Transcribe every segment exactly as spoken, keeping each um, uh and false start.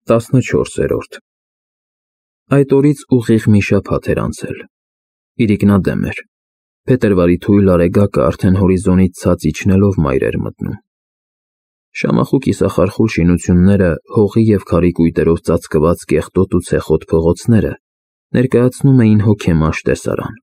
տասնչորսերորդ Այդ օրից ուղիղ մի շաբաթ էր անցել։ Իրիկնադեմ էր։ Փետրվարի թույլ արեգակը արդեն հորիզոնից ցած իջնելով մայր էր մտնում։ Շամախու կիսախարխուլ շինությունները, հողի և քարի կույտերով ծածկված կեղտոտ ու ցեխոտ փողոցները ներկայացնում էին հոգեմաշ տեսարան։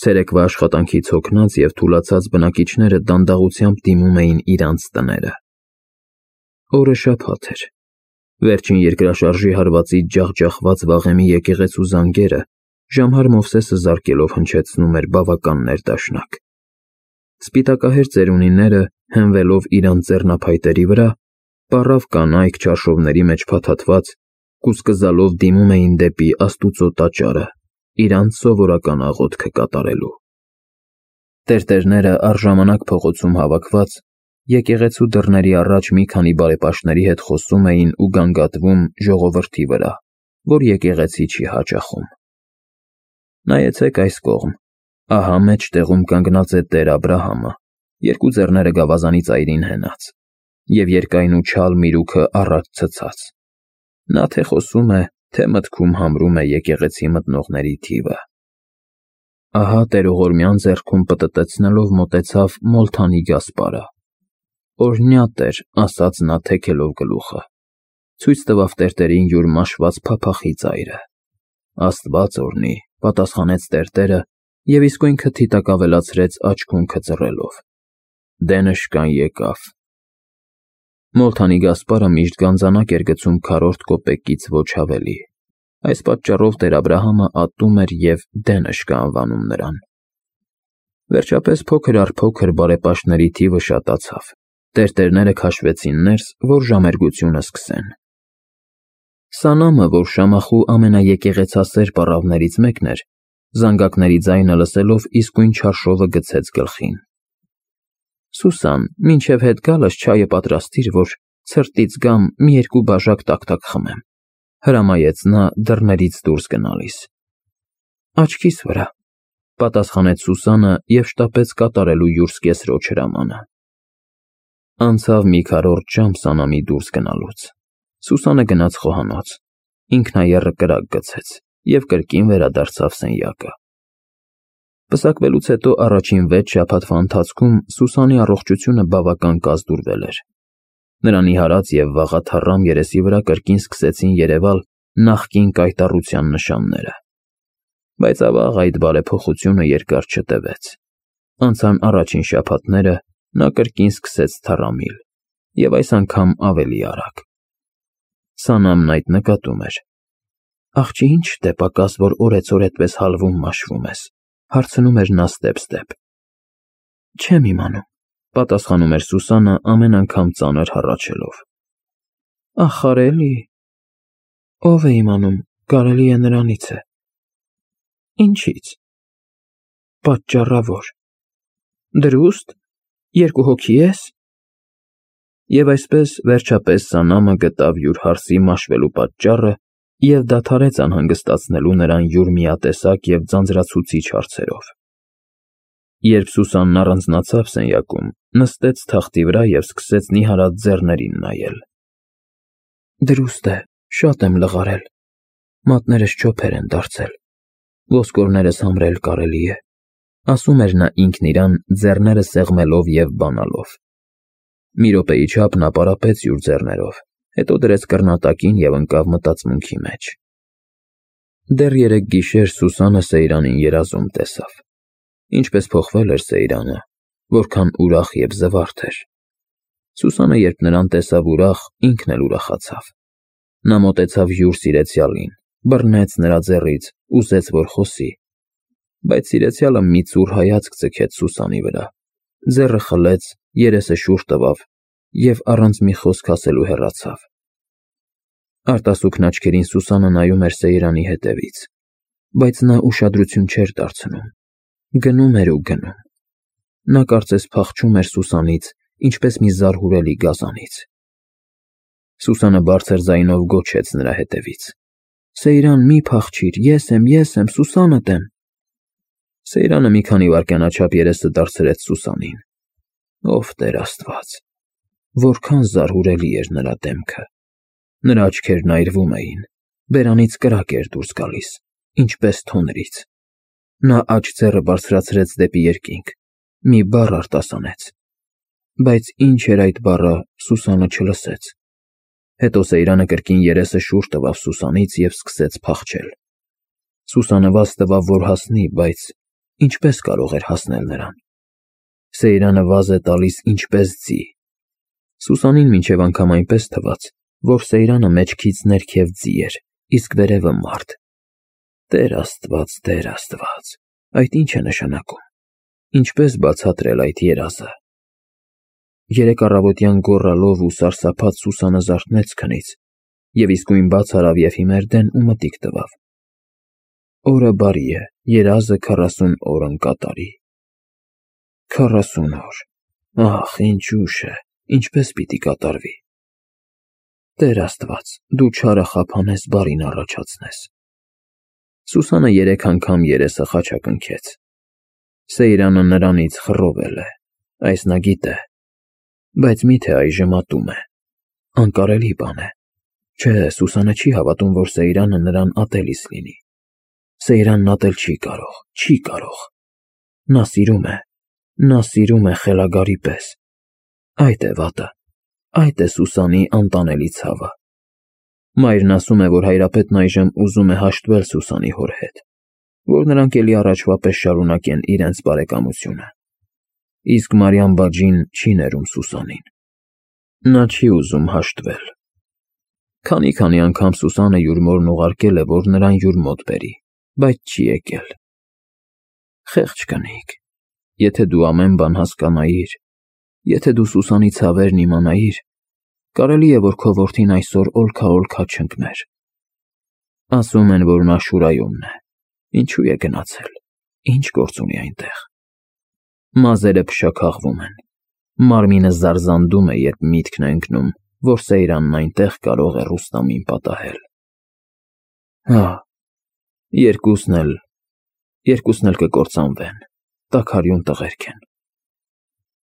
Ցերեկվա աշխատանքից հոգնած և թուլացած բնակիչները դանդաղությամբ դիմում էին իրանց տները։ Օրը շաբաթ էր։ Վերջին երկրաշարժի հարվածից ջախջախված վաղեմի եկեղեցու զանգերը Ժամհար Մովսեսը զարկելով հնչեցնում էր բավական ներդաշնակ։ Սպիտակահեր ծերունիները, հենվելով իրանց ձեռնափայտերի վրա, պառավ կանայք չարշովների մեջ փաթաթված, կուսկզալով դիմում էին դեպի Աստուծո տաճարը, իրանց սովորական աղոթքը կատարելու։ Տերտերները առժամանակ փողոցում հավաքված, եկեղեցու դռների առաջ մի քանի բարեպաշտների հետ խոսում էին ու գանգատվում ժողովրդի վրա, որ եկեղեցի չի հաճախում։ Նայեցեք այս կողմ, ահա մեջտեղում կանգնած է Տեր Աբրահամը, երկու ձեռները գավազանի ծայրին հենած, և երկայն ու չալ միրուքը առաջ ցցած։ Նա թե խոսում է, թե մտքում համրում է եկեղեցի մտնողների թիվը։ Ահա տերողորմյան ձեռքում պտտեցնելով մոտեցավ Մոլթանի Գասպարը։ Օրհնյա Տեր, ասաց նա թեքելով գլուխը, ցույց տվավ տերտերին յուր մաշված փափախի ծայրը։ Աստված օրհնի, պատասխանեց տերտերը և իսկույն քթի տակ ավելացրեց աչքունքը ծռելով։ Դենշկան եկավ։ Մոլթանի Գասպարը միշտ գանձանակ էր գցում քառորդ կոպեկից ոչ ավելի։ Այս պատճառով Տեր Աբրահամը ատում էր և Դենշկա անվանում նրան։ Վերջապես փոքր առ փոքր բարեպաշտների թիվը շատացավ։ Տերտերները քաշվեցին ներս, որ ժամերգությունը սկսեն։ Սանամը, որ Շամախու ամենաեկեղեցասեր պառավներից մեկն էր, զանգակների ձայնը լսելով իսկույն չարշովը գցեց գլխին։ Սուսան, մինչև հետ գալս չայը պատրաստիր, որ ցրտից գամ մի երկու բաժակ տաք-տաք խմեմ, հրամայեց նա դռներից դուրս գնալիս։ Աչքիս վրա, պատասխանեց Սուսանը և շտապեց կատարելու յուր սկեսրոջ հրամանը։ Անցավ մի քառորդ ժամ Սանամի դուրս գնալուց։ Սուսանը գնաց խոհանոց, ինքնաեռը կրակ գցեց և կրկին վերադարձավ սենյակը։ Պսակվելուց հետո առաջին վեց շաբաթվա ընթացքում Սուսանի առողջությունը բավական կազդուրվել էր։ Նրա նիհարած և վաղաթառամ երեսի վրա կրկին սկսեցին երևալ նախկին կայտառության նշանները։ Բայց ավաղ այդ բարեփոխությունը երկար չտևեց։ Անցան առաջին շաբաթները, նա կրկին սկսեց թառամիլ, և այս անգամ ավելի արագ։ Սանամն այդ նկատում էր։ Աղջի, ի՞նչ է պակաս, որ օրեցօր այդպես հալվում մաշվում ես, հարցնում էր նա ստեպ-ստեպ։ Չեմ իմանում, պատասխանում էր Սուսանը ամեն անգամ ծանր հառաչելով։ Ախար էլի։ Ով է իմանում, կարելի է նրանից է։ Ինչից։ Պատճառավոր։ Դրուստ։ Երկու հոգի ես։ Եվ այսպես, վերջապես Սանամը գտավ յուր հարսի մաշվելու պատճառը և դադարեց անհանգստացնելու նրան յուր միատեսակ և ձանձրացուցիչ հարցերով։ Երբ Սուսանն առանձնացավ սենյակում, նստեց թախտի վրա և սկսեց նիհարած ձեռներին նայել։ Դրուստ է, շատ եմ լղարել, մատներս չոփեր են դարձել, ոսկորներս համրել կարելի է, ասում էր նա ինքն իրան, ձեռները սեղմելով և բանալով։ Մի րոպեի չափ նա պարապեց յուր ձեռներով, հետո դրեց կռնատակին և ընկավ մտածմունքի մեջ։ Դեռ երեկ գիշեր Սուսանը Սեյրանին երազում տեսավ։ Ինչպես փոխվել էր Սեյրանը, որքան ուրախ և զվարթ էր։ Սուսանը, երբ նրան տեսավ ուրախ, ինքն էլ ուրախացավ։ Նա մոտեցավ յուր սիրեցյալին, բռնեց նրա ձեռից, ուզեց, որ խոսի։ Բայց սիրեցյալը մի ծուռ հայացք ձգեց Սուսանի վրա, ձեռը խլեց, երեսը շուռ տվավ և առանց մի խոսք ասելու հեռացավ։ Արտասուքն աչքերին Սուսանը նայում էր Սեյրանի հետևից, բայց նա ուշադրություն չէր դարձնում։ Գնում էր ու գնում։ Նա կարծես փախչում էր Սուսանից, ինչպես մի զարհուրելի գազանից։ Սուսանը բարձր ձայնով գոչեց նրա հետևից. Սեյրան, մի փախչիր, ես եմ, ես եմ, Սուսանդ եմ։ Սեյրանը մի քանի վայրկյանաչափ երեսը դարձրեց Սուսանին։ Ով Տեր Աստված, որքան զարհուրելի էր նրա դեմքը։ Նրա աչքերն այրվում էին, բերանից կրակ էր դուրս գալիս, ինչպես թոնրից։ Նա աջ ձեռը բարձրացրեց դեպի երկինք, մի բառ արտասանեց, բայց ինչ էր այդ բառը, Սուսանը չլսեց։ Հետո Սեյրանը կրկին երեսը շուռ տվավ Սուսանից և սկսեց փախչել։ Սուսանը վազ տվավ, որ հասնի, բայց ինչպես կարող էր հասնել նրան։ Սեյրանը վազ է տալիս ինչպես ձի։ Սուսանին մինչև անգամ այնպես թվաց, որ Սեյրանը մեջքից ներքև ձի էր, իսկ վերևը մարդ։ Տեր Աստված, Տեր Աստված, այդ ինչ է նշանակում։ Ինչպես բացատրել այդ երազը։ Երեք առավոտյան գոռալով ու սարսափած Սուսանը զարթնեց քնից և իսկույն բաց արավ և հիմեր դեն ու մտիկ տվավ։ Օրը բարի է, երազը քառասուն օր ընկատարի։ Քառասուն օր, ախ, ինչ ուշ է, ինչպես պիտի կատարվի։ Տեր Աստված, դու չարը խափանես, բարին առաջացնես։ Սուսանը երեք անգամ երեսը խաչակնքեց։ Սեյրանը նրանից խռովել է, այս նա գիտե, բայց միթե այժմ ատում է։ Անկարելի բան է։ Չէ, Սուսանը չի հավատում, որ Սեյրանը նրան ատելիս լինի։ Սեյրանն ատել չի կարող, չի կարող։ Նա սիրում է, նա սիրում է խելագարի պես։ Այդ է վատը, այդ է Սուսանի անտանելի ցավը։ Մայրն ասում է, որ հայրապետն այժմ ուզում է հաշտվել Սուսանի հոր հետ, որ նրանք էլի առաջվա պես շարունակեն իրենց բարեկամությունը։ Իսկ Մարիամ բաջին չի ներում Սուսանին։ Նա չի ուզում հաշտվել։ Քանի-քանի անգամ Սուսանը յուր մորն ուղարկել է, որ նրան յուր մոտ բերի, բայց չի եկել։ Խեղճ կնիկ, եթե դու ամեն բան հասկանայիր, եթե դու Սուսանի ցավերն իմանայիր, կարելի է, որ քո որդին այսօր օլքա-օլքա չընկներ։ Ասում են, որ նա Շուրայումն է։ Ինչու է գնացել, ինչ գործ ունի այնտեղ։ Մազերը փշաքաղվում են, մարմինը զարզանդում է, երբ միտքն է ընկնում, որ Սեյրանն այնտեղ կարող է Ռուստամին պատահել։ Հա, երկուսն էլ, երկուսն էլ կկործանվեն, տաքարյուն տղերք են։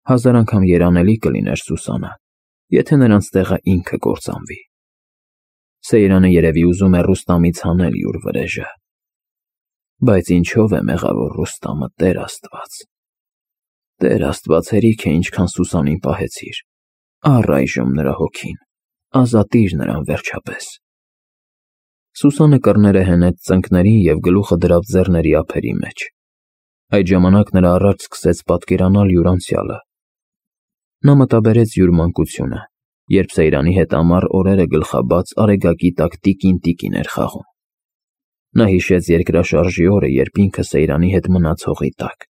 Հազար անգամ երանելի կլիներ Սուսանը, եթե նրանց տեղը ինքը կործանվի։ Սեյրանը երևի ուզում է Ռուստամից հանել յուր վրեժը։ Բայց ինչով է մեղավոր Ռուստամը, Տեր Աստված։ Տեր Աստված, հերիք է ինչքան Սուսանին պահեցիր։ Առ այժմ նրա հոգին, ազատիր նրան վերջապես։ Սուսանը կռները հենեց ծնկներին և գլուխը դրավ ձեռների ափերի մեջ։ Այդ ժամանակ նրա առաջ սկսեց պատկերանալ յուր անցյալը։ Նա մտաբերեց յուր մանկությունը, երբ Սեյրանի հետ ամառ օրերը գլխաբաց արեգակի տակ տիկին-տիկին էր խաղում։ Նա հիշեց երկրաշարժի օրը, երբ ինքը Սեյրանի հետ մնաց հողի տակ։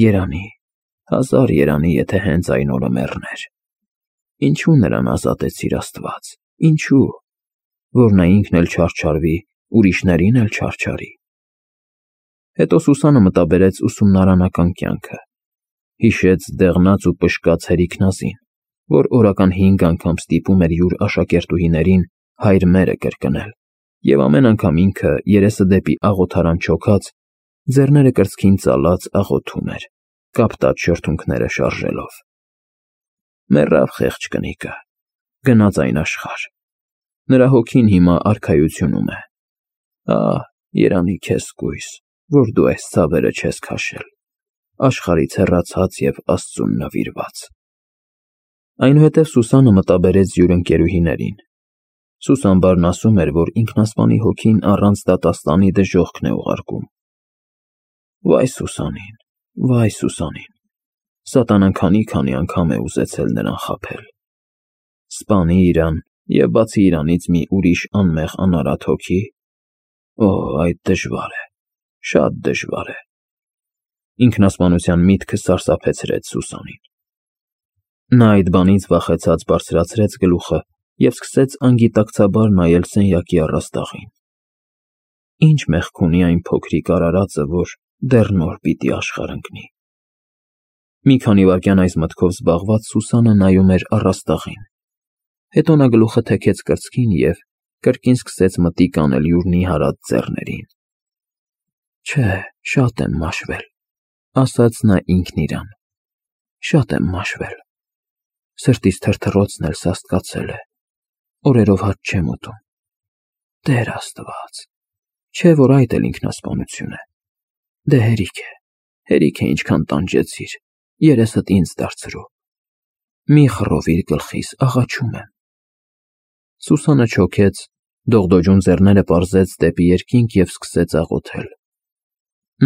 Երանի, հազար երանի, եթե հենց այն օրը մեռներ։ Ինչու նրան ազատեցիր, Աստված, ինչու, որ նա ինքն էլ չարչարվի, ուրիշներին էլ չարչարի։ Հետո Սուսանը մտաբերեց ուսումնարանական կյանքը։ Հիշեց դեղնած ու պշկած հերիքնազին, որ օրական հինգ անգամ ստիպում էր յուր աշակերտուհիներին հայր մերը կրկնել, և ամեն անգամ ինքը երեսը դեպի աղոթարան չոքած, ձեռները կրծքին ծալած աղոթում էր, կապտած շրթունքները շարժելով։ Մեռավ խեղճ կնիկը, գնաց այն աշխարհ։ Նրա հոգին հիմա արքայությունում է։ Ահ, երանի քեզ կույս, որ դու այս ցավերը չես քաշել, աշխարհից հեռացած և Աստծուն նվիրված։ Այնուհետև Սուսանը մտաբերեց յուր ընկերուհիներին։ Սուսանբարն ասում էր, որ ինքնասպանի հոգին առանց դատաստանի դժոխքն է ուղարկում։ Վայ Սուսանին, վայ Սուսանին, սատանան քանի-քանի անգամ է ուզեցել նրան խաբել։ Սպանի իրան և բացի իրանից մի ուրիշ անմեղ անարատ հոգի։ Օ, այդ դժվար է, շատ դժվար է։ Ինքնասպանության միտքը սարսափեցրեց Սուսանին։ Նա այդ բանից վախեցած բարձրացրեց գլուխը և սկսեց անգիտակցաբար նայել սենյակի առաստաղին։ Ինչ մեղք ունի այն փոքրիկ արարածը, որ դեռ նոր պիտի աշխարհ ընկնի։ Մի քանի վայրկյան այս մտքով զբաղված Սուսանը նայում էր առաստաղին։ Հետո նա գլուխը թեքեց կրծքին և կրկին սկսեց մտիկ անել յուր նիհարած ձեռներին։ Չէ, շատ եմ մաշվել, ասաց նա ինքն իրան։ Շատ եմ մաշվել։ Սրտիս թրթռոցն էլ սաստկացել է։ օրերով հաց չեմ ուտում։ Տեր Աստված, չէ՞ որ այդ էլ ինքնասպանություն է։ Դե հերիք է, հերիք է ինչքան տանջեցիր, երեսդ ինձ դարձրու։ Մի խռովիր գլխիս, աղաչում եմ։ Սուսանը չոքեց, դողդոջուն ձեռները պարզեց դեպի երկինք և սկսեց աղոթել։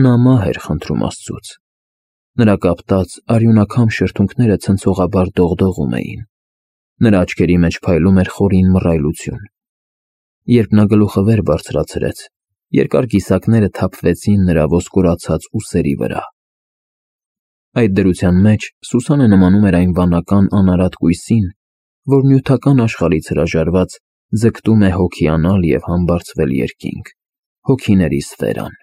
Նա մահ էր խնդրում Աստծուց։ Նրա կապտած, արյունաքամ շրթունքները ցնցողաբար դողդողում էին։ Նրա աչքերի մեջ փայլում էր խորին մռայլություն։ Երբ նա գլուխը վեր բարձրացրեց, երկար կիսակները թափվեցին նրա ոսկորացած ուսերի վրա։ Այդ դրության մեջ Սուսանը նմանում էր այն վանական անարատ կույսին, որ նյութական աշխարհից հրաժարված ձգտում է հոգիանալ և համբարձվել երկինք, հոգիների սֆերան։